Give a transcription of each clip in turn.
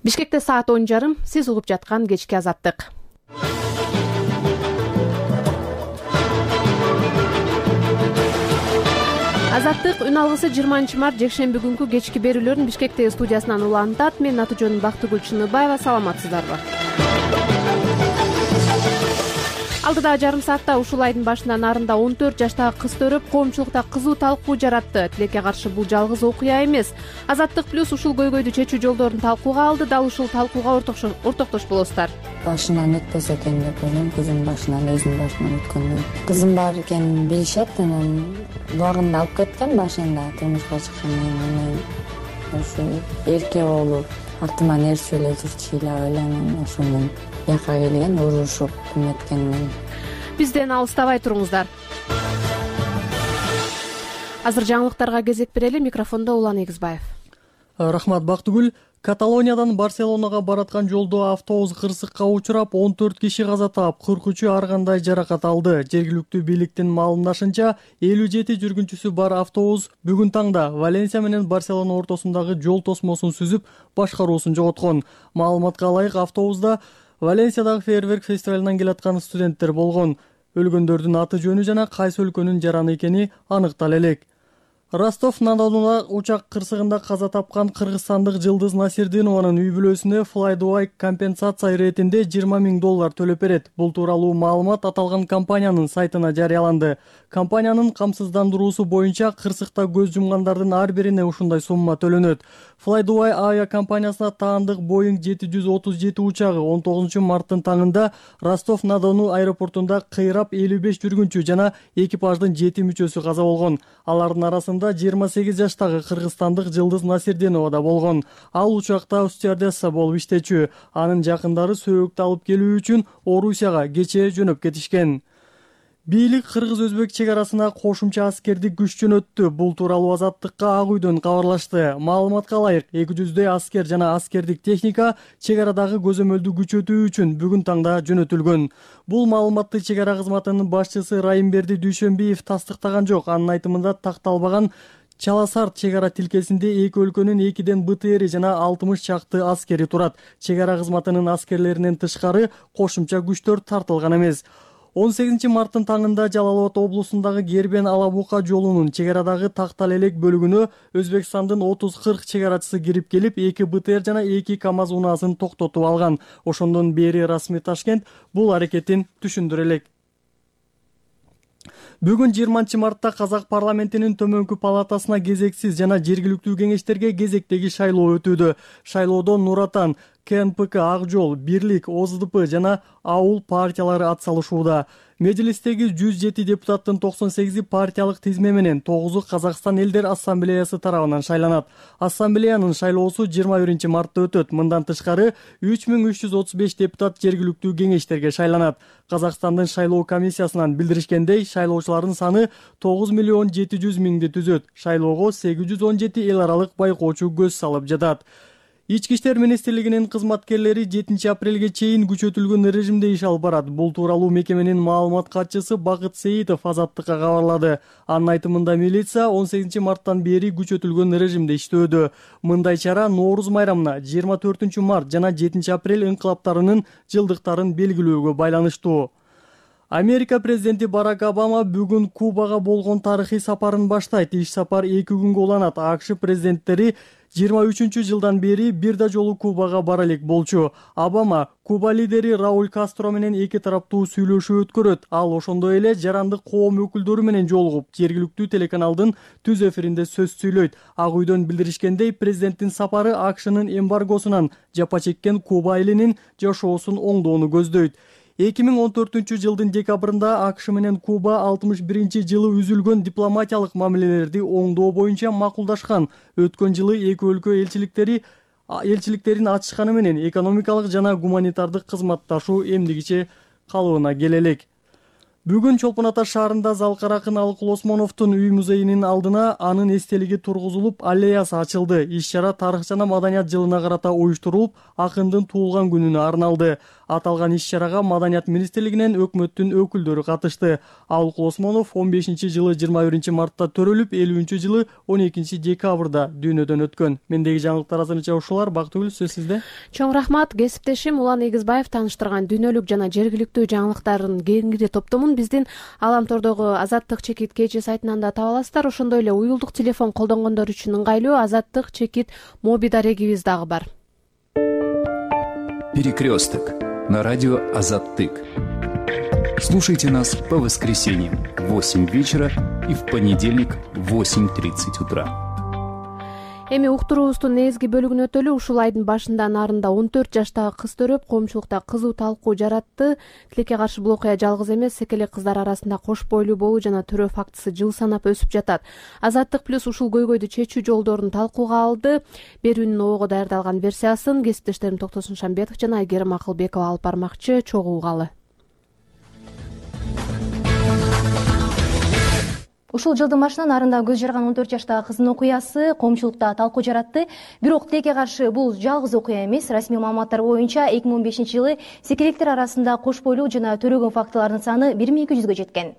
Бишкекте саат 10:30. Сиз угуп жаткан кечки азаттык. Азаттык үн алгысы 20-март жекшемби күнкү кечки берүүлөрүн Бишкектеги студиясынан улантат. Мен Атыжон Бактыгүл Чыныбаева. Саламатсыздарбы? Алдыдагы жарым саатта ушул айдын башынан нарында 14 жаштагы кыз төрөп, коомчулукта кызуу талкуу жаратты. Тилекке каршы бул жалгыз окуя эмес. Азаттык плюс ушул көйгөйдү чечүү жолдорун талкууга алды. Дал ушул талкууга ортоктош болосуздар. Башынан өтпөсө экен деп ойлойм. Кызым башынан, өзүнүн башынан өткөндө. Кызым бар экенин билишет, анан убагында алып кеткен башында турмушка чыккандан кийин ошо эрке болуп, артыман ээрчип эле жүрчү эле ойлойм. Ошондон жака келген, урушуп эметкенмин. Бизден алыстабай туруңуздар. Азыр жаңылыктарга кезек берели. Микрофондо Улан Эгизбаев. Рахмат, Бактыгүл. Каталониядан Барселонага бараткан жолдо автобус кырсыкка учурап, 14 киши каза таап, 43-ü ар кандай жаракат алды. Жергиликтүү бийликтин маалымдашынча, 57 жүргүнчүсү бар автобус бүгүн таңда Валенсия менен Барселона ортосундагы жол тосмосун сүзүп, башкаруусун жоготкон. Маалыматка ылайык, автобуста Валенсиядагы фейерверк фестивалынан келаткан студенттер болгон. Өлгөндөрдүн аты жөнү жана кайсы өлкөнүн жараны экени аныктала элек. Ростов-на-Донуна учак кырсыгында каза тапкан кыргызстандык Жылдыз Насирдинованын үй бүлөсүнө Fly-Dubai компенсация иретинде $20,000 төлөп берет. Бул тууралуу маалымат аталган компаниянын сайтына жарыяланды. Компаниянын камсыздандыруусу боюнча кырсыкта көз жумгандардын ар бирине ушундай сумма төлөнөт. Fly-Dubai авиакомпаниясына таандык Boeing 737 учагы 19 марттын таңында Ростов-на-Дону аэропортунда кыйрап 55 жүргүнчү жана экипаждын 7 мүчөсү каза болгон. Алардын арасында 28 жаштагы кыргызстандык Жылдыз Насирдинова да болгон. Ал учакта стюардесса болуп иштечү. Анын жакындары сөөгүктү алып келүү үчүн Орусияга кечээ жөнөп кетишкен. Бийлик кыргыз-өзбек чек арасына кошумча аскердик күч жөнөттү. Бул тууралуу Азаттыкка Ак үйдөн кабарлашты. Маалыматка ылайык, 200 аскер жана аскердик техника чек арадагы көзөмөлдү күчөтүү үчүн бүгүн таңда жөнөтүлгөн. Бул маалыматты чек ара кызматынын башчысы Райымберди Дүйшөнбиев тастыктаган жок. Анын айтымында такталбаган Чаласарт чек ара тилкесинде эки өлкөнүн 2ден БТРи жана 60 чакты аскери турат. Чек ара кызматынын аскерлеринен тышкары кошумча күчтөр тартылган эмес. 18 марттын таңында Жалал Абад облусундагы Гербен-Алабука жолунун чек арадагы Тактал элек бөлүгүнө Өзбекстандын 30-40 чек арачысы кирип келип, 2 БТР жана 2 КАМАЗ унаасын токтотуп алган. Ошондон бери расмий Ташкент бул аракетин түшүндүрө элек. Бүгүн 20 мартта Казак парламентинин төмөнкү палатасына кезексиз жана жергиликтүү кеңештерге кезектеги шайлоо өтүүдө. Шайлоодо Нур Отан, КНПК, Ак жол, Бирлик, ОЗДП жана Ауыл партиялары атсалышууда. Мejлистеги 107 депутаттын 98 партиялык тизме менен 9-у Казакстан элдер ассамблеясы тарабынан шайланат. Ассамблеянын шайлоосу 21 мартта өтөт. Мындан тышкары 3335 депутат жергиликтүү кеңештерге шайланат. Казакстандын шайлоо комиссиясынан билдиришкендей, шайлоочулардын саны 9,700,000 түзөт. Шайлоого 817 эл аралык байкоочу көз салып жатат. Ички иштер министрлигинин кызматкерлери 7 апрелге чейин күчөтүлгөн режимде иш алып барат. Бул тууралуу мекеменин маалымат катчысы Бакыт Сейитов Азаттыкка кабарлады. Анын айтымында милиция 18 марттан бери күчөтүлгөн режимде иштөөдө. Мындай чара Нооруз майрамына 24 март жана 7 апрель инкылаптарынын жылдыктарын белгилөөгө байланыштуу. Америка президенти Барак Обама бүгүн Кубага болгон тарыхый сапарын баштайт. Иш сапар 2 күнгө уланат. АКШ президенттери 23 жылдан бери бир да жолу Кубага бара элек болчу. Обама Куба лидери Рауль Кастро менен эки тараптуу сүйлөшүү өткөрөт. Ал ошондой эле жарандык коом өкүлдөрү менен жолугуп, жергиликтүү телеканалдын түз эфиринде сөз сүйлөйт. Ак үйдөн билдиришкендей, президенттин сапары АКШнын эмбаргосунан жапа чеккен Куба элинин жашоосун оңдоону көздөйт. 2014 жылдын декабрында АКШ менен Куба 61 жылы үзүлгөн дипломатиялык мамилелерди оңдоо боюнча макулдашкан. Өткөн жылы эки өлкө элчиликтерин ачышканы менен экономикалык жана гуманитардык кызматташуу эмдигиче калыбына келе элек. Бүгүн Чолпон Ата шаарында Залкар акын Алыкул Осмоновдун үй музейинин алдына анын эстелиги тургузулуп, аллеясы ачылды. Иш-чара тарых жана маданият жылына карата уюштурулуп, акындын туулган күнүнө арналды. Аталган иш-чарага Маданият министрлигинен өкмөттүн өкүлдөрү катышты. Алыкул Осмонов 15-жылы 21-мартта төрөлүп, 50-жылы 12-декабрда дүйнөдөн өткөн. Мендеги жаңылыктар азырынча ушулар. Бактыгүл, сөз сизде. Чоң рахмат. Кесиптешим Улан Эгизбаев тааныштырган дүйнөлүк жана жергиликтүү жаңылыктардын кеңири топтомун биздин Аламтордогу Азаттык чекит KG сайтынан да таба аласыздар. Ошондой эле уюлдук телефон колдонгондор үчүн ыңгайлуу Азаттык чекит моби дарегибиз дагы бар. Перекресток на радио Азаттык. Слушайте нас по воскресеньям в 8 вечера и в понедельник в 8:30 утра. Эми уктуруубуздун негизги бөлүгүн өтөлү. Ушул айдын башында нарында 14 жаштагы кыз төрөп, коомчулукта кызуу талкуу жаратты. Тилекке каршы бул окуя жалгыз эмес, секелек кыздар арасында кош бойлуу болуу жана төрөө фактысы жыл санап өсүп жатат. Азаттык плюс ушул көйгөйдү чечүү жолдорун талкууга алды. Берүүнүн обого даярдалган версиясын кесиптештерим Токтосун Шамбетов жана Айгерим Акылбекова алып бармакчы. Чогуу угалы. Ушул жылдын башынан нарында көз жарган 14 жаштагы кыздын окуясы коомчулукта талкуу жаратты. Бирок тилекке каршы бул жалгыз окуя эмес. Расмий маалыматтар боюнча 2015-жылы секелектер арасында кош бойлуу жана төрөгөн фактылардын саны 1200-гө жеткен.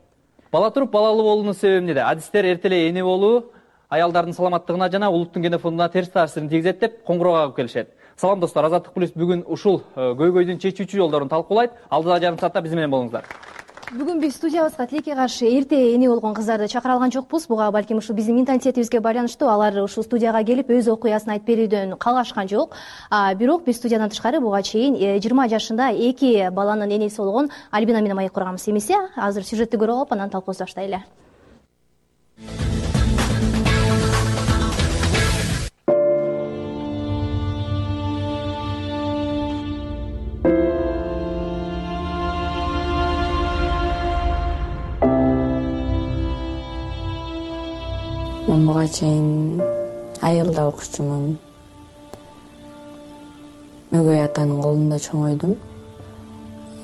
Бала туруп балалуу болуунун себеби эмнеде? Адистер эрте эле эне болуу аялдардын саламаттыгына жана улуттун генофондуна терс таасирин тийгизет деп коңгуроо кагып келишет. Салам достор, Азаттык плюс бүгүн ушул көйгөйдүн чечүүчү жолдорун талкуулайт. Алдыда жарым саатта биз менен болуңуздар. Бүгүн биз студиябызга тилекке каршы эрте эне болгон кыздарды чакыра алган жокпуз. Буга балким ушул биздин менталитетибизге байланыштуу. Алар ушул студияга келип өз окуясын айтып берүүдөн калгашкан жок. Бирок биз студиядан тышкары буга чейин 20 жашында 2 баланын энеси болгон Альбина менен маек курганбыз. Эмесе, азыр сюжетти көрүп алып, анан талкуубузду баштайлы. Мен буга чейин айылда окучумун. Өгөй атанын колунда чоңойдум.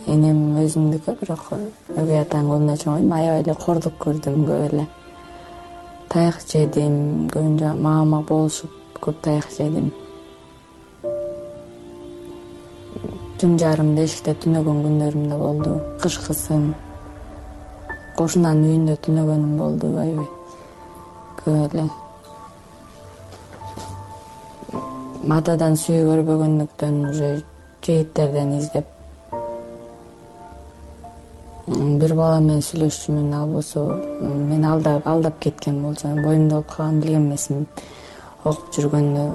Энем өзүмдүкү, бирок өгөй атанын колунда чоңойдум. Аябай эле кордук көрдүм, көп эле. Таяк жедим, көбүнчө мама болушуп көп таяк жедим. Түн жарымда эшикте түнөгөн күндөрүм да болду. Кышкысын кошунанын үйүндө түнөгөнүм болду, аябай. Эле матадан сүйүү көрбөгөндүктөн уже жигиттерден издеп бир бала менен сүйлөшчүмүн, ал болсо мени алдап кеткен болчу. Боюмда болуп калган билген эмесмин. Окуп жүргөндө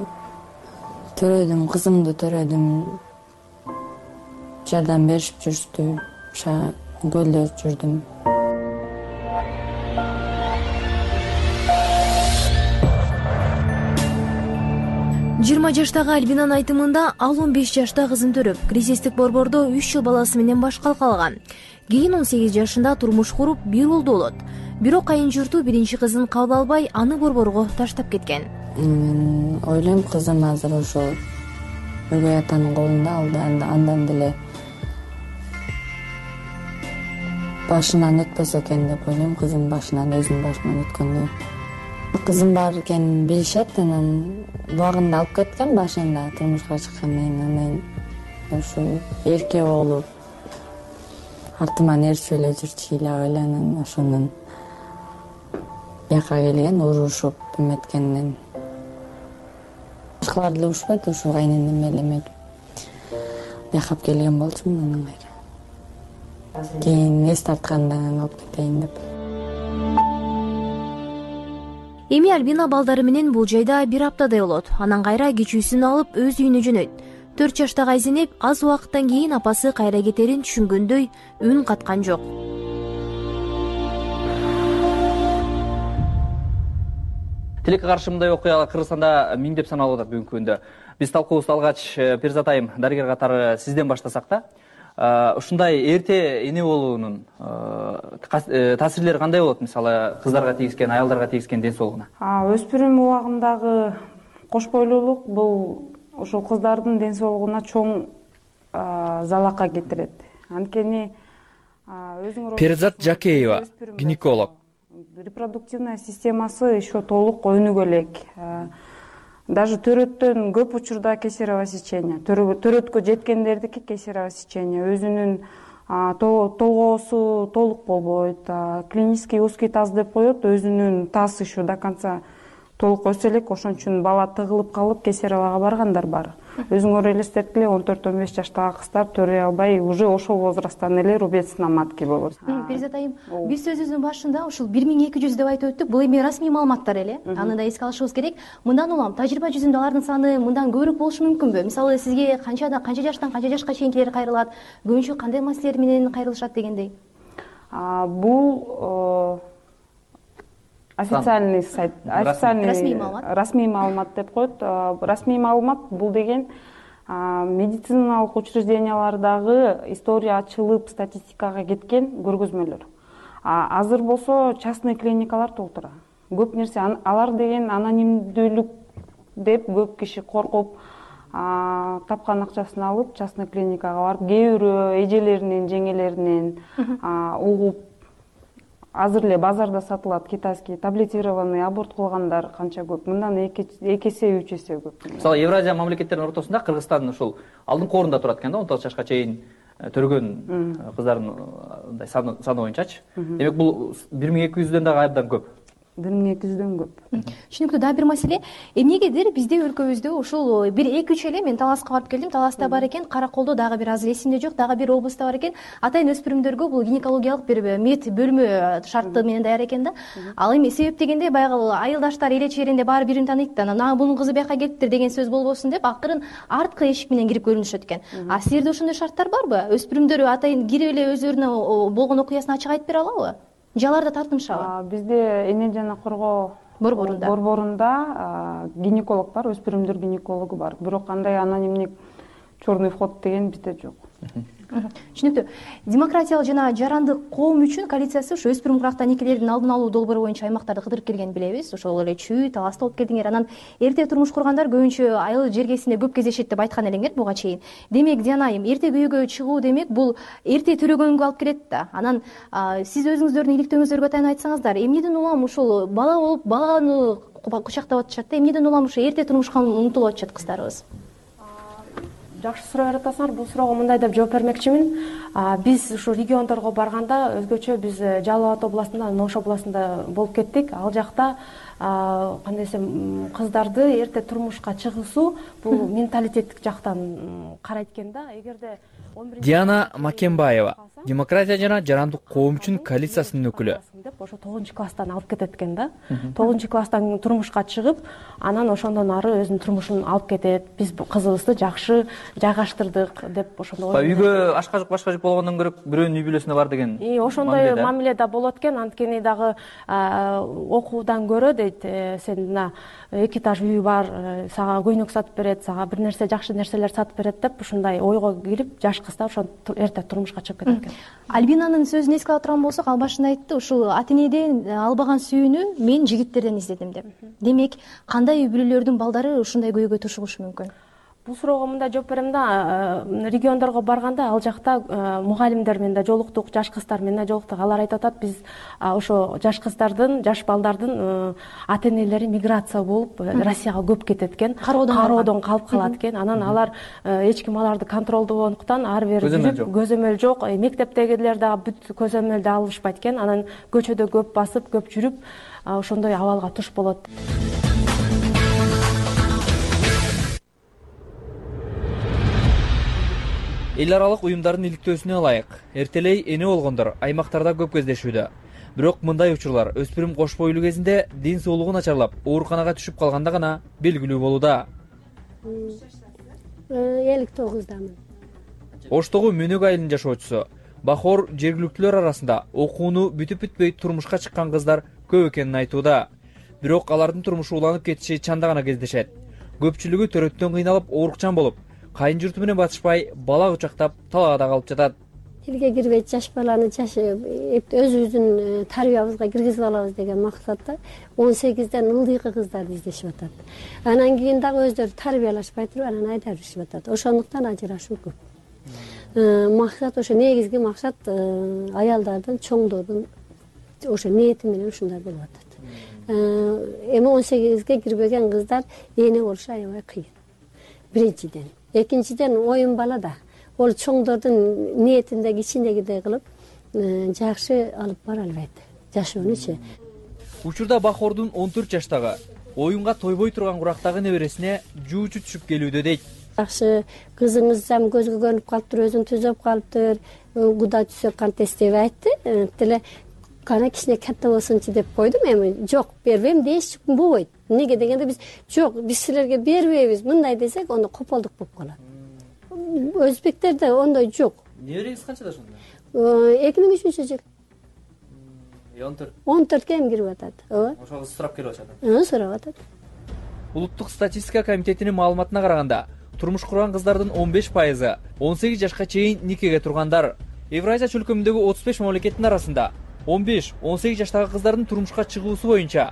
төрөдүм, кызымды төрөдүм. Жардам беришип жүрүштү, көлдө жүрдүм. Жыйырма жаштагы Альбинанын айтымында ал 15 жашта кызын төрөп, кризистик борбордо 3 жыл баласы менен башка калган. Кийин 18 жашында турмуш куруп, бир балдуу болот. Бирок кайын журту биринчи кызын кабыл албай, аны борборго таштап кеткен. Ойлойм, кызым азыр ошол өгөй атанын колунда, андан деле башынан өтпөсө экен деп ойлойм. Кызым башынан, өзүнүн башынан өткөндө. Кызым бар экенин билишет, анан убагында алып кеткен башында турмушка чыккандан кийин. Анан ошо эрке болуп, артыман ээрчип эле жүрчү ыйлап эле, анан ошонун бияка келген, урушуп эметкенден. Башкалар деле урушпайт, ошо кайненем эле эметип бияка келген болчумун. Анан кийин эс тартканда алып кетейин деп. Эми Альбина балдары менен бул жайда бир аптадай болот. Анан кайра кичүүсүн алып өз үйүнө жөнөйт. 4 жаштагы Айзенеп аз убакыттан кийин апасы кайра кетерин түшүнгөндөй үн каткан жок. Тилекке каршы мындай окуялар Кыргызстанда миңдеп саналып атат бүгүнкү күндө. Биз талкуубузду алгач, Перизат айым, дарыгер катары сизден баштасак да. Ушундай эрте эне болуунун таасирлери кандай болот? Мисалы, кыздарга тийгизген, аялдарга тийгизген ден соолугуна. Өспүрүм убагындагы кош бойлуулук бул ошол кыздардын ден соолугуна чоң залалка келтирет. Анткени Перизат Жакеева, гинеколог. Репродуктивная системасы еще толук өнүгө элек. Даже төрөттөн көп учурда кесарево сечение, төрөткө жеткендердики кесарево сечение, өзүнүн толгоосу толук болбойт, клинический узкий таз деп коет, өзүнүн таз еще до конца толук өсө элек, ошон үчүн бала тыгылып калып кесаревага баргандар бар. Өзүңөр элестеткиле, 14-15 жаштагы кыздар төрөй албай, уже ошол возрасттан эле рубецкий матки болот. Перизат айым, биз сөзүбүздүн башында ушул 1200 деп айтып өттүк. Бул эми расмий маалыматтар эле. Аны да эске алышыбыз керек. Мындан улам тажрыйба жүзүндө алардын саны мындан көбүрөөк болушу мүмкүнбү? Мисалы, сизге канча жаштан канча жашка чейинкилер кайрылат, көбүнчө кандай маселелер менен кайрылышат дегендей? Бул официальный сайт, расмий маалымат деп коет. Расмий маалымат бул деген медициналык учреждениялардагы история ачылып статистикага кеткен көргөзмөлөр. Азыр болсо частный клиникалар толтура. Көп нерсе алар деген анонимдүүлүк деп көп киши коркуп, тапкан акчасын алып частный клиникага барып, кээ бирөө эжелеринин, жеңелеринин угуп, азыр эле базарда сатылат китайский таблетированный аборт кылгандар канча көп. Мындан 2 эсе 3 эсе көп. Мисалы, Евразия мамлекеттеринин ортосунда Кыргызстан ушул алдыңкы орунда турат экен да, 19 жашка чейин төрөгөн кыздардын мындай саны боюнчачы. Демек бул 1200дөн дагы абдан көп. 1200дөн көп. Түшүнүктүү. Дагы бир маселе, эмнегедир бизде өлкөбүздө ушул 1-2-3 эле, мен Таласка барып келдим, Таласта бар экен, Караколдо дагы бир азыр эсимде жок, дагы бир облустта бар экен. Атайын өспүрүмдөргө бул гинекологиялык бир мед бөлмө шарты менен даяр экен да. Ал эми себеп дегенде баягы айылдаштар эле чээринде баары бирин тааныйт да, анан бунун кызы бияка келиптир деген сөз болбосун деп, акырын арткы эшик менен кирип көрүнүшөт экен. Силерде ошондой шарттар барбы? Өспүрүмдөр атайын кирип эле өздөрүнө болгон окуясын ачык айтып бере алабы? Же аларда тартынышабы? Бизде эне жана коргоо борборунда гинеколог бар, өспүрүмдөр гинекологу бар. Бирок кандай анонимдик черный вход деген бизде жок. Түшүнүктүү. Демократиялык жана жарандык коом үчүн коалициясы ушу өспүрүм курактан никелердин алдын алуу долбоору боюнча аймактарды кыдырып келгенин билебиз. Ошол эле Чүй, Таласта болуп келдиңер. Анан эрте турмуш кургандар көбүнчө айыл жергесинде көп кездешет деп айткан элеңер буга чейин. Демек, Диана айым, эрте күйөөгө чыгуу демек бул эрте төрөгөнгө алып келет да. Анан сиз өзүңүздөрдүн иликтөөңүздөргө таянып айтсаңыздар, эмнеден улам ушул бала болуп, баланы кучактап атышат да, эмнеден улам ушу эрте турмушка умтулуп атышат кыздарыбыз? Жакшы суроо жаратасыңар. Бул суроого мындай деп жооп бермекчимин. Биз ушу региондорго барганда өзгөчө биз Жалал Абад областында, Ош областында болуп кеттик. Ал жакта кандай десем, кыздарды эрте турмушка чыгуусу бул менталитеттик жактан карайт экен да. Эгерде Диана Макенбаева, демократия жана жарандык коом үчүн коалициясынын өкүлү. Ошо 9-класстан алып кетет экен да. 9-класстан турмушка чыгып, анан ошондон ары өзүнүн турмушун алып кетет. Биз кызыбызды жакшы жайгаштырдык деп ошондой. Үйгө ашка башка жок болгондон көрөк бирөөнүн үй бүлөсүнө бар деген. Ошондой мамиле да болот экен. Анткени дагы окуудан көрө дейт, сен мына 2 этаж үй бар, сага көйнөк сатып берет, сага бир нерсе жакшы нерселер сатып берет деп ушундай ойго кирип, жаш кыздар ошо эрте турмушка чыгып кетет экен. Альбинанын сөзүн эске ала турган болсок, ал башында айтты, ушул ата-энеден албаган сүйүүнү мен жигиттерден издедим деп. Демек, кандай үй бүлөлөрдүн балдары ушундай көйгөйгө тушугушу мүмкүн? Бул суроого мындай жооп берем да, региондорго барганда ал жакта мугалимдер менен да жолуктук, жаш кыздар менен да жолуктук. Алар айтып атат, биз ошо жаш кыздардын, жаш балдардын ата-энелери миграция болуп Россияга көп кетет экен, кароодон калып калат экен. Анан алар эч ким аларды контролдобогондуктан ары бери жүрүп, көзөмөл жок, мектептегилер дагы бүт көзөмөлдү алышпайт экен. Анан көчөдө көп басып, көп жүрүп, ошондой абалга туш болот. Эл аралык уюмдардын иликтөөсүнө ылайык, эртелей эне болгондор аймактарда көп кездешүүдө. Бирок мындай учурлар өспүрүм кош бойлуу кезинде ден соолугу начарлап, ооруканага түшүп калганда гана белгилүү болууда. 59-дамын. Оштогу Мөнөк айылынын жашоочусу Бахор жергиликтүүлөр арасында окууну бүтүп-бүтпөй турмушка чыккан кыздар көп экенин айтууда. Бирок алардын турмушу уланып кетиши чанда гана кездешет. Көпчүлүгү төрөттөн кыйналып, оорукчан болуп, кайын журту менен батышпай, бала кучактап, талаада калып жатат. Тилге кирбейт жаш баланы өзүбүздүн тарбиябызга киргизип алабыз деген максатта 18ден ылдыйкы кыздарды издешип атат. Анан кийин дагы өздөрү тарбиялашпай туруп, анан айдап жүрүшүп атат. Ошондуктан ажырашуу көп. Максат ошо негизги максат аялдардын, чоңдордун ошо ниети менен ушундай болуп атат. Эми 18ге кирбеген кыздар эне болушу аябай кыйын. Биринчиден. Экинчиден оюн балада. Ол чоңдордун ниетинде кичинегидей кылып жакшы алып бара албайт. Жашоонучу. Учурда Бахордун 14 жаштагы оюнга тойбой турган курактагы небересине жуучу түшүп келүүдө дейт. Жакшы кызыңыз жам көзгө көрүнүп калыптыр, өзүн түзөп калыптыр, Кудай түзөп кантес деп айтты. Тиле кана кичине катта болсунчу деп койдум. Эми жок, бербейм деш болбойт. Неге дегенде биз силерге бербейбиз. Мындай десек, анда кополдук болуп калат. Өзбектерде ондой жок. Небереңиз канчада ошондо? 2003-жыл. 14 эми кирип атат. Ооба. Ошол сурап келип атат. Сурап атат. Улуттук статистика комитетинин маалыматына караганда, турмуш курган кыздардын 15% 18 жашка чейин никеге тургандар. Евразия чөлкөмүндөгү 35 мамлекеттин арасында 15-18 жаштагы кыздардын турмушка чыгуусу боюнча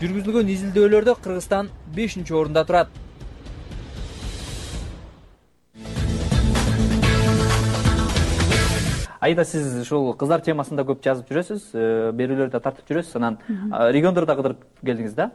жүргүзүлгөн изилдөөлөрдө Кыргызстан 5-орунда турат. Айда сиз ушул кыздар темасында көп жазып жүрөсүз, берүүлөрдү тартып жүрөсүз, анан региондордо кыдырып келдиңиз да.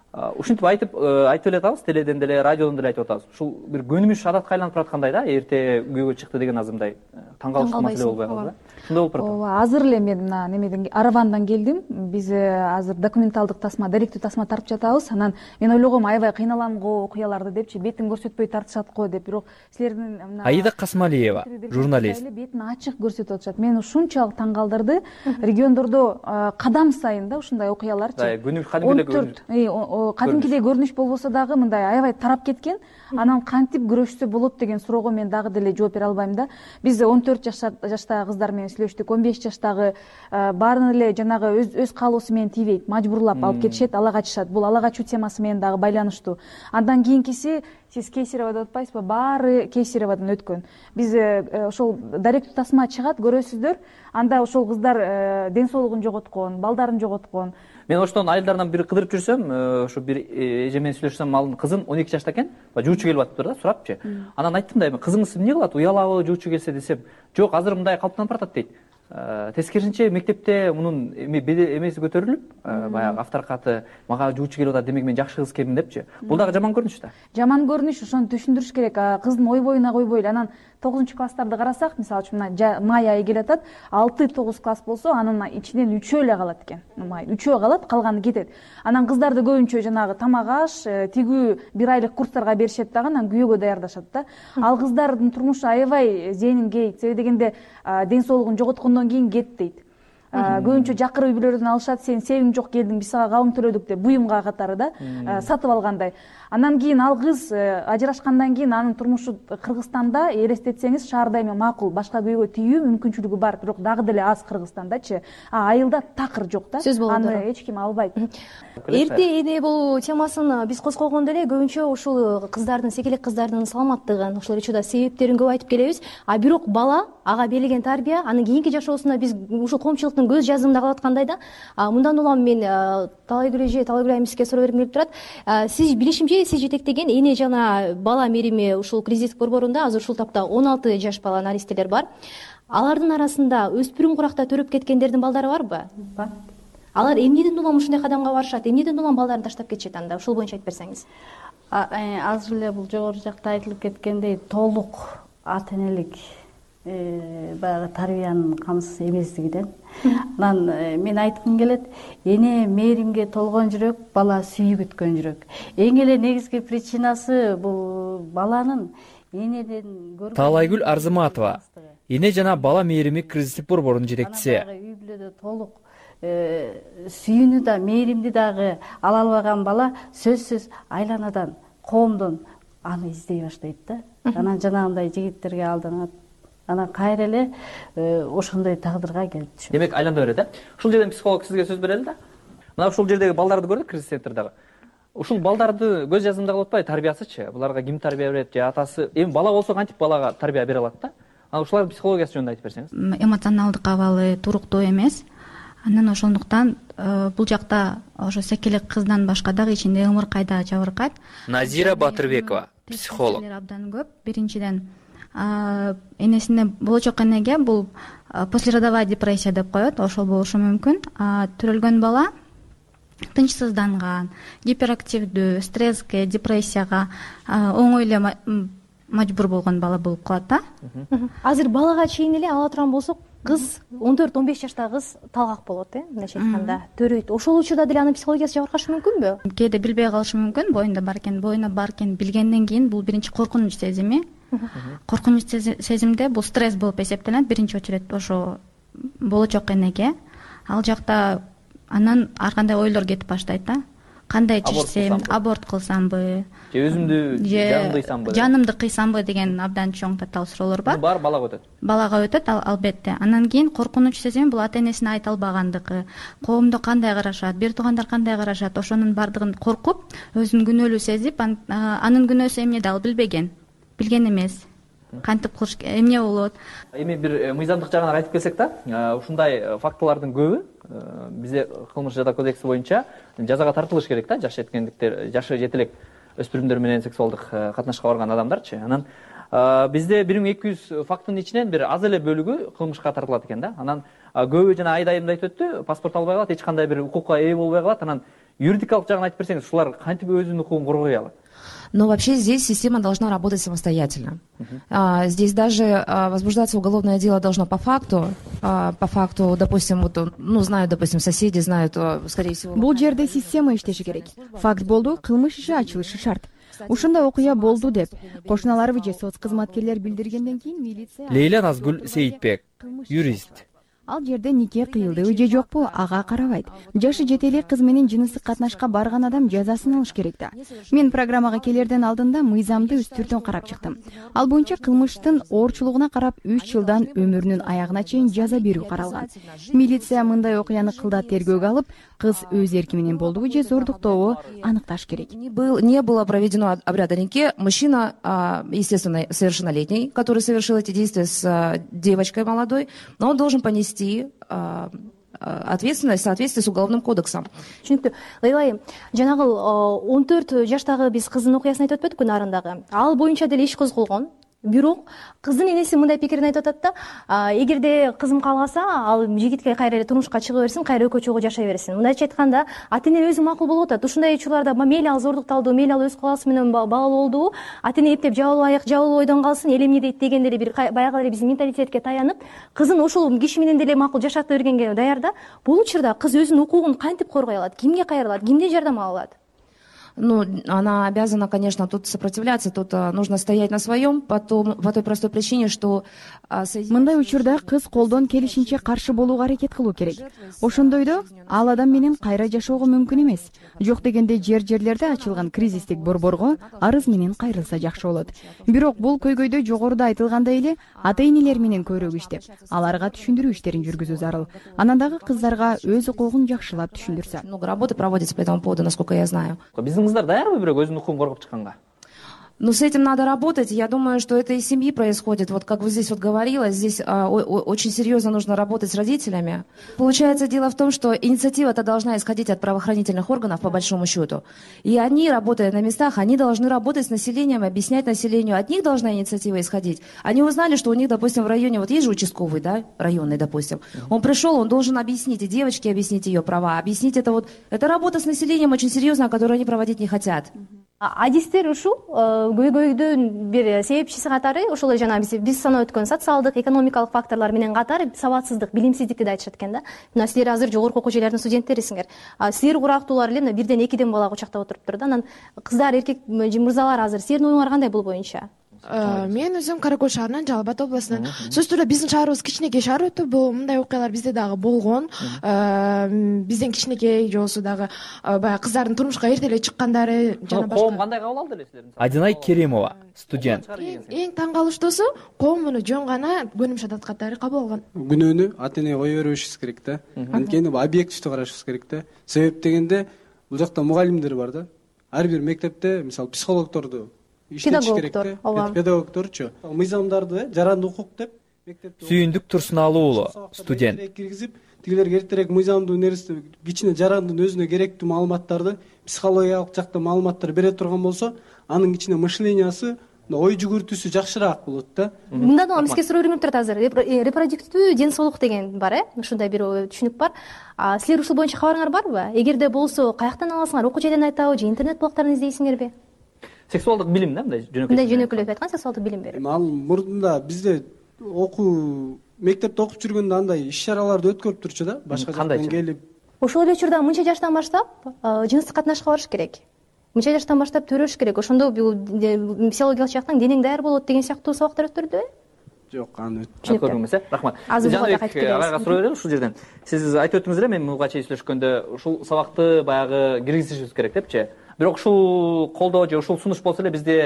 Ушинтип айтып эле атабыз, теледен деле, радиодон деле айтып атабыз. Ушул бир көнүмүш адатка айланып бараткандай да, эрте күйөөгө чыкты деген азырмындай таң калыштуу маселе болбой калды да. Шундай болуп барат. Ооба, азыр эле мен мына немеден Аравандан келдим. Биз азыр документалдык тасма, даректүү тасма тартып жатабыз. Анан мен ойлогом, аябай кыйналам го окуяларды депчи, бетин көрсөтпөй тартышат го деп. Бирок силердин мына Аида Касмалиева, журналист. Бетин ачык көрсөтүп атышат. Мени ушунчалык таң калтырды. Региондордо кадам сайын да ушундай окуяларчы. Кадимкидей көрүнүш болбосо дагы мындай аябай тарап кеткен. Анан кантип күрөшсө болот деген суроого мен дагы деле жооп бере албайм да. Биз 14 жаштагы кыздар менен сүйлөштүк, 15 жаштагы баарын эле жанагы өз каалоосу менен тийбейт, мажбурлап алып кетишет, ала качышат. Бул ала качуу темасы менен дагы байланыштуу. Андан кийинкиси сиз Кейсерева деп атпайсызбы? Баары Кейсеревадан өткөн. Биз ошол даректүү тасма чыгат, көрөсүздөр. Анда ошол кыздар ден соолугун жоготкон, балдарын жоготкон. Мен оштон айылдардан бир кыдырып жүрсөм, ошо бир эже менен сүйлөшсөм, ал кызым 12 жашта экен, жуучу келип атыптыр да, сурапчы. Анан айттым да, эми кызыңыз эмне кылат, уялабы жуучу келсе десем, жок, азыр мындай калыптанып баратат дейт. Тескерисинче мектепте мунун эмеси көтөрүлүп, баягы авторкаты, мага жуучу келип атат, демек мен жакшы кыз келдим депчи. Бул дагы жаман көрүнүш да. Жаман көрүнүш, ошону түшүндүрүш керек. Кыздын ой боюна койбойлу. Анан 9-класстарды карасак, мисалы үчүн мына май айы келип атат, 6-9 класс болсо, анын ичинен 3 эле калат экен. Май 3 калат, калганы кетет. Анан кыздарды көбүнчө жанагы тамак аш, тигүү 1 айлык курстарга беришет дагы, анан күйөөгө даярдашат да. Ал кыздардын турмушу аябай зээнин кейт. Себеби дегенде ден соолугун жоготкондон кийин кет дейт. Көбүнчө жакыр үй бүлөлөрдөн алышат, сен себиң жок келдиң, биз сага кабым төлөдүк деп буюмга катары да сатып алгандай. Андан кийин ал кыз ажырашкандан кийин анын турмушу Кыргызстанда, элестетсеңиз, шаарда эми макул башка күйөөгө тийүү мүмкүнчүлүгү бар, бирок дагы деле аз Кыргызстандачы. Айылда такыр жок да. Аны эч ким албайт. Эрте эне болуу темасын биз козгогондо эле көбүнчө ушул кыздардын, секелек кыздардын саламаттыгын, ошол учурда себептерин көп айтып келебиз. Бирок бала, ага берилген тарбия, анын кийинки жашоосунда биз ушул коомчулуктун көз жазымында калып аткандай да. Мындан улам мен Талайгүл айымызге суроо бергим келип турат. Сиз билишимче сиз жетектеген эне жана бала мерими ушул кризис борборунда азыр ушул тапта 16 жаш бала наристелер бар. Алардын арасында өспүрүм куракта төрөп кеткендердин балдары барбы? Бар. Алар эмнеден улам ушундай кадамга барышат? Эмнеден улам балдарын таштап кетишет анда? Ушул боюнча айтып берсеңиз. Азыр эле бул жогору жакта айтылып кеткендей толук ата энелик баягы тарбиянын камсыз эмеслигинен. Анан мен айткым келет, эне мээримге толгон жүрөк, бала сүйүп өткөн жүрөк. Эң эле негизги причинасы бул баланын энеден көргөн. Талайгүл Арзыматова, эне жана бала мээрими кризистик борборунун жетекчиси. Үй бүлөдө толук сүйүүнү да, мээримди дагы ала албаган бала сөзсүз айланадан, коомдон аны издей баштайт да. Анан жанагындай жигиттерге алданат. Анан кайра эле ошондой тагдырга келип түшөт. Демек айлана берет, Ушул жерден психолог сизге сөз берели да. Мына ушул жердеги балдарды көрдүк, кризис центрдагы. Ушул балдарды көз жазымда калып атпайбы, тарбиясычы? Буларга ким тарбия берет, же атасы? Эми бала болсо кантип балага тарбия бере алат да? Анан ушулардын психологиясы жөнүндө айтып берсеңиз. Эмоционалдык абалы туруктуу эмес. Анан ошондуктан бул жакта ошо секелек кыздан башка дагы ичинде ымыркайда жабыркайт. Назира Батырбекова, психолог. Абдан көп. Биринчиден энесине болочок энеге бул послеродовая депрессия деп коет, ошол болушу мүмкүн. Төрөлгөн бала тынчсызданган, гиперактивдүү, стресске, депрессияга оңой эле мажбур болгон бала болуп калат да. Азыр балага чейин эле ала турган болсок, кыз 14-15 жаштагы кыз талгак болот, мындайча айтканда, төрөйт. Ошол учурда деле анын психологиясы жабыркашы мүмкүнбү? Кээде билбей калышы мүмкүн, боюнда бар экен билгенден кийин бул биринчи коркунуч сезими. Коркунуч сезимде бул стресс болуп эсептелет биринчи очередде ошо болочок энеге. Ал жакта анан ар кандай ойлор кетип баштайт да. Кандай чечсем, аборт кылсамбы, же өзүмдү жанымды кыйсамбы деген абдан чоң татаал суроолор бар. Баары балага өтөт. Балага өтөт, албетте. Анан кийин коркунуч сезими бул ата энесине айта албагандыгы, коомдо кандай карашат, бир туугандар кандай карашат, ошонун баардыгын коркуп, өзүн күнөөлүү сезип, анын күнөөсү эмнеде ал билбеген эмес. Кантип кылыш эмне болот? Эми бир мыйзамдык жагына кайтып келсек да, ушундай фактылардын көбү бизде кылмыш жаза кодекси боюнча жазага тартылыш керек да, жаш жете элек өспүрүмдөр менен сексуалдык катнашка барган адамдарчы. Анан бизде 1200 фактынын ичинен бир аз эле бөлүгү кылмышка тартылат экен да. Анан көбү жана айдайымда айтып өттү, паспорт албай калат, эч кандай бир укукка ээ болбой калат. Анан юридикалык жагын айтып берсеңиз, ушулар кантип өзүнүн укугун коргой алат? Но вообще здесь система должна работать самостоятельно. Здесь даже возбуждаться уголовное дело должно по факту, допустим, знают, допустим, соседи знают, скорее всего. Бул жерде система иштеши керек. Факт болду, кылмыш иши ачылышы шарт. Ушундай окуя болду деп кошуналарыбы же соц кызматкерлер билдиргенден кийин милиция. Лейла Назгүл Сейитбек, юрист. Ал жерде нике кыйылдыбы же жокпу ага карабайт. Жашы жете элек кыз менен жыныстык катнашка барган адам жазасын алыш керек да. Мен программага келерден алдында мыйзамды үстүртөн карап чыктым. Ал боюнча кылмыштын оорчулугуна карап 3 жылдан өмүрүнүн аягына чейин жаза берүү каралган. Милиция мындай окуяны кылдат тергөөгө алып, кыз өз эрки менен болдубу же зордуктообу аныкташ керек. Не было проведено обряда нике. Мужчина, естественно, совершеннолетний, который совершил эти действия с девочкой молодой, но он должен понести ответственность в соответствии с уголовным кодексом. Түшүнүктүү. Лейла айым, жанагы 14 жаштагы биз кыздын окуясын айтып өтпөдүкпү нарындагы? Ал боюнча деле иш козголгон. Бирок кыздын энеси мындай пикирин айтып атат да, эгерде кызым кааласа, ал жигитке кайра эле турмушка чыга берсин, кайра экөө чогуу жашай берсин. Мындайча айтканда, ата-эне өзү макул болуп атат. Ушундай учурларда мейли ал зордукталды, мейли ал өз калаасы менен балалуу болду, ата-эне эптеп жабылуу ойдон калсын, эл эмне дейт дегенде эле бир баягы эле биздин менталитетке таянып, кызын ошол киши менен деле макул жашата бергенге даяр да. Бул учурда кыз өзүнүн укугун кантип коргой алат? Кимге кайрылат? Кимден жардам ала алат? Она обязана, конечно, тут сопротивляться, тут нужно стоять на своем, по той простой причине, что... Мындай учурда кыз колдон келишинче каршы болууга аракет кылуу керек. Ошондойдо ал адам менен кайра жашоого мүмкүн эмес. Жок дегенде жерлерде ачылган кризистик борборго арыз менен кайрылса жакшы болот. Бирок бул көйгөйдө жогоруда айтылгандай эле ата-энелер менен көбүрөөк иштеп, аларга түшүндүрүү иштерин жүргүзүү зарыл. Анан дагы кыздарга өз укугун жакшылап түшүндүрсө. Много работы проводится по этому поводу, насколько я знаю. Биздин кыздар даярбы бирок өзүнүн укугун коргоп чыкканга? С этим надо работать. Я думаю, что это из семьи происходит. Вот как вы здесь говорила, здесь очень серьезно нужно работать с родителями. Получается, дело в том, что инициатива-то должна исходить от правоохранительных органов, по большому счету. И они, работая на местах, они должны работать с населением, объяснять населению. От них должна инициатива исходить. Они узнали, что у них, допустим, в районе, вот есть же участковый, да, районный, допустим. Он пришел, он должен объяснить, и девочке объяснить ее права, объяснить это работа с населением очень серьезная, которую они проводить не хотят. Адистер ушул көйгөйдүн бир себепчиси катары ошол жана биз санап өткөн социалдык, экономикалык факторлор менен катары сабатсыздык, билимсиздикти да айтышат экен да. Мына силер азыр жогорку окуу жайлардын студенттерисиңер. Силер курактуулар эле бирден экиден бала кучактап отуруптур да. Анан кыздар, эркек мырзалар азыр силердин оюңар кандай бул боюнча? Мен өзүм Кара Көл шаарынан, Жалал Абад областынан. Сөзсүз түрдө биздин шаарыбыз кичинекей шаар өтө, бул мындай окуялар бизде дагы болгон. Бизден кичинекей же болбосо дагы баягы кыздардын турмушка эрте эле чыккандары жана башка. Коом кандай кабыл алды эле силердин? Адинай Керимова, студент. Эң таң калыштуусу, коом муну жөн гана көнүмүш адат катары кабыл алган. Күнөөнү ата-энеге кое бербешибиз керек да. Анткени бул объективдүү карашыбыз керек да. Себеп дегенде бул жакта мугалимдер бар да. Ар бир мектепте, мисалы, психологдорду педагогторчу мыйзамдарды жаранды укук деп мектепте Сүйүндүк Турсуналуу уулу, студент. Киргизип, тигилерге эртерээк мыйзамдуу нерсе кичине жарандын өзүнө керектүү маалыматтарды, психологиялык жакта маалыматтар бере турган болсо, анын кичине мышлениясы ой жүгүртүүсү жакшыраак болот да. Мындан эмеске суроо берип турат азыр. Репродуктивдүү ден соолук деген бар, ушундай бир түшүнүк бар. Силер ушул боюнча кабарыңар барбы? Эгерде болсо, каяктан аласыңар? Окуу жайдан айтабы же интернет блогторун издейсиңерби? Сексуалдык билим да, мындай жөнөкөй. Мындай жөнөкөйлөп айткан сексуалдык билим берип. Ал мурдунда бизде мектепте окуп жүргөндө андай иш-чараларды өткөрүп турчу да, башка жактан келип. Ошол эле учурда мынча жаштан баштап жыныстык катнашка барыш керек. Мынча жаштан баштап төрөш керек. Ошондо бул физиологиялык жактан денең даяр болот деген сыяктуу сабактар өттүрдүбү? Жок, аны өткөрдүм эмес. Рахмат. Жаныбек агайга суроо берели ушул жерден. Сиз айтып өттүңүз эле, мен буга чейин сүйлөшкөндө ушул сабакты баягы киргизишибиз керек депчи. Бирок ушул колдоо же ушул сунуш болсо эле бизде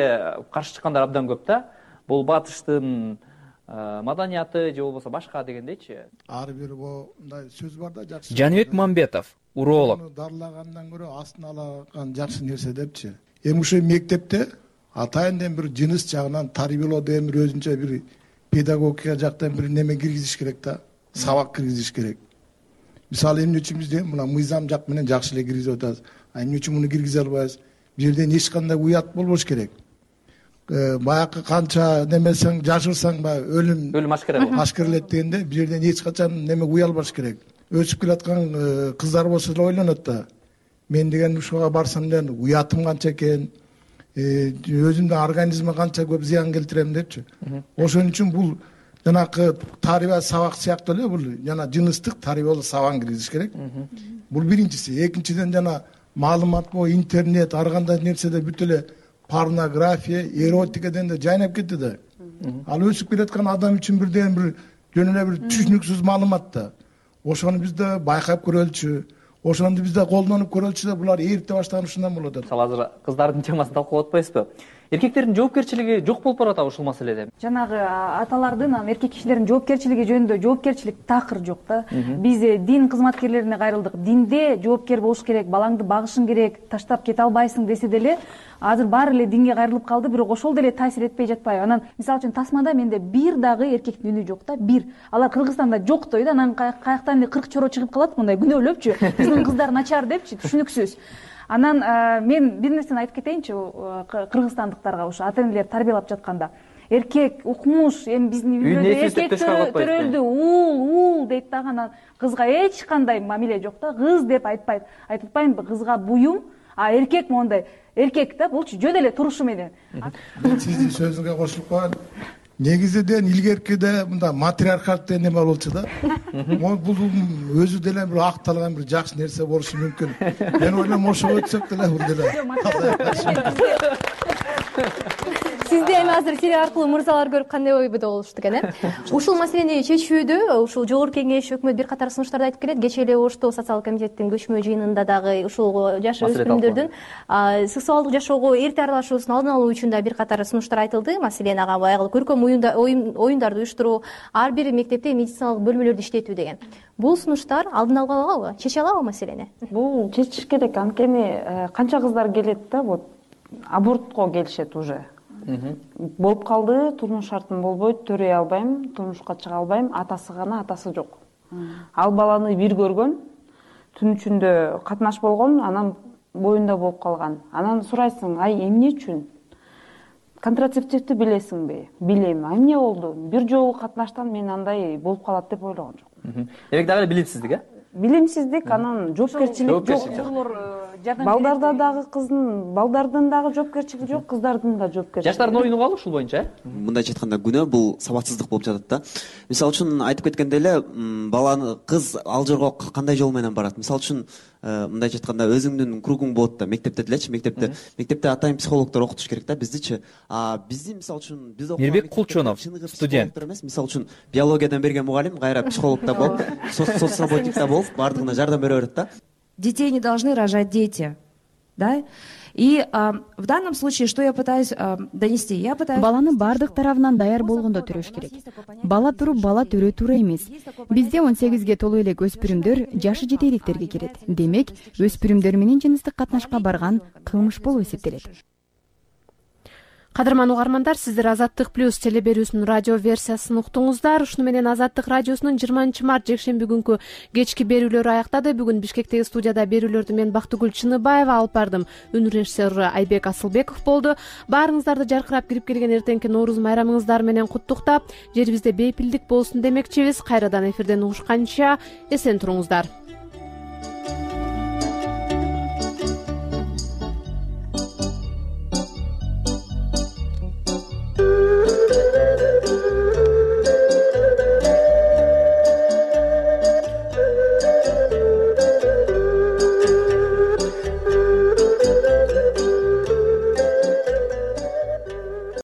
каршы чыккандар абдан көп да. Бул батыштын маданияты же болбосо башка дегендейчи. Ар бир мындай сөз бар да, жакшы. Жаныбек Мамбетов, уролог. Дарылагандан көрө астын алаган жакшы нерсе депчи. Эми ушул мектепте атайын бир жыныс жагынан тарбиялоо деген бир өзүнчө бир педагогика жактан бир неме киргизиш керек да, сабак киргизиш керек. Мисалы эмне үчүн бизде мына мыйзам жак менен жакшы эле киргизип атабыз. Эмне үчүн муну киргизе албайбыз? Бул жерден эч кандай уят болбош керек. Баягы канча немесең жашырсаң баягы өлүм ашкерелет дегенде бул жерден эч качан неме уялбаш керек. Өсүп келаткан кыздар болсо эле ойлонот да. Мен деген ушуга барсам эле уятым канча экен, өзүмдүн организмиме канча көп зыян келтирем депчи. Ошон үчүн бул жанакы тарбия сабак сыяктуу эле бул жана жыныстык тарбиялоо сабагын киргизиш керек. Бул биринчиси. Экинчиден жана маалымат интернет ар кандай нерседе бүт эле порнография, эротикаден да жайнап кетти да. Ал өсүп келаткан адам үчүн бирден бир жөн эле бир түшүнүксүз маалымат да. Ошону биз да байкап көрөлчү. Ошону биз да колдонуп көрөлчү да, булар эрте баштаган ушундан болот. Мисалы азыр кыздардын темасын талкуулап атпайсызбы? Эркектердин жоопкерчилиги жок болуп баратабы ушул маселеде? Жанагы аталардын, эркек кишилердин жоопкерчилиги жөнүндө жоопкерчилик такыр жок да. Биз дин кызматкерлерине кайрылдык. Динде жоопкер болуш керек, балаңды багышың керек, таштап кете албайсың десе деле, азыр баары эле динге кайрылып калды, бирок ошол деле таасир этпей жатпайбы? Анан мисалы үчүн Тасмада менде бир дагы эркектин үнү жок да, бир. Алар Кыргызстанда жок дейт, анан каяктан эле 40 чоро чыгып калат, мындай күнөөлөпчү. Биздин кыздар начар депчи, түшүнүксүз. Анан мен бир нерсени айтып кетейинчи кыргызстандыктарга, ушу ата-энелер тарбиялап жатканда. Эркек укмуш, эми биздин үйлөрдө эркек төрөлдү, уул дейт дагы, анан кызга эч кандай мамиле жок да. Кыз деп айтпайт. Айтып атпаймынбы, кызга буюм, а эркек мондай. Эркек да, булчу жөн эле турушу менен. Мен сиздин сөзүңө кошулуп калам. Негизиден илгеркиде мында матриархат деген неме болчу да. Бул өзү деле бир акталган бир жакшы нерсе болушу мүмкүн. Мен ойлойм ошого өтсөк деле бул деле. Сизде эми азыр эфир аркылуу мырзалар көрүп кандай ойбуда болушту экен, Ушул маселени чечүүдө ушул жогорку кеңеш, өкмөт бир катар сунуштарды айтып келет. Кечээ эле Ошто социалдык комитеттин көчмө жыйынында дагы ушул жаш өспүрүмдөрдүн сексуалдык жашоого эрте аралашуусун алдын алуу үчүн да бир катар сунуштар айтылды. Маселен, баягы көркөм оюндарды уюштуруу, ар бир мектепте медициналык бөлмөлөрдү иштетүү деген. Бул сунуштар алдын ала алабы, чече алабы маселени? Бул чечиш керек. Анткени канча кыздар келет да, вот абортко келишет уже. Болуп калды, турмуш шартым болбойт, төрөй албайм, турмушка чыга албайм, атасы гана, атасы жок. Ал баланы бир көргөн, түн ичинде катнаш болгон, анан боюнда болуп калган. Анан сурайсың, ай эмне үчүн? Контрацептивди билесиңби? Билем. Эмне болду? Бир жолу катнаштан мен андай болуп калат деп ойлогон жокмун. Демек дагы билимсиздик, Билимсиздик, анан жоопкерчилик жок. Балдарда дагы балдардын дагы жоопкерчилиги жок, кыздардын да жоопкерчилиги. Жаштардын оюну калы ушул боюнча, Мындайча айтканда күнөө бул сабатсыздык болуп жатат да. Мисалы үчүн айтып кеткендей эле, баланы кыз ал жерге кандай жол менен барат? Мисалы үчүн мындайча айтканда өзүңдүн кругуң болот да, мектепте делечи, мектепте атайын психологдор окутуш керек да биздичи. Бизди мисалы үчүн биз Мирбек Кулчонов, студент. Мисалы үчүн биологиядан берген мугалим кайра психолог да болуп, соцработник да болуп, бардыгына жардам бере берет да. Детей не должны рожать дети, да? И в данном случае, что я пытаюсь донести? Я пытаюсь... Баланы бардык тарабынан даяр болгондо төрөш керек. Бала туруп, бала төрө туура эмес. Бизде 18ге толуу элек өспүрүмдөр жашы жете электерге кирет. Демек, өспүрүмдөр менен жыныстык катнашка барган кылмыш болуп эсептелет. Кадырман угармандар, сиздер Азаттык плюс теле берүүсүнүн радио версиясын уктуңуздар. Ушуну менен Азаттык радиосунун 20 март жекшемби күнкү кечки берүүлөрү аяктады. Бүгүн Бишкектеги студияда берүүлөрдү мен Бактыгүл Чыныбаева алып бардым. Үн режиссеру Айбек Асылбеков болду. Баарыңыздарды жаркырап кирип келген эртеңки Нооруз майрамыңыздар менен куттуктап, жерибизде бейпилдик болсун демекчибиз. Кайрадан эфирден угушканча эсен туруңуздар.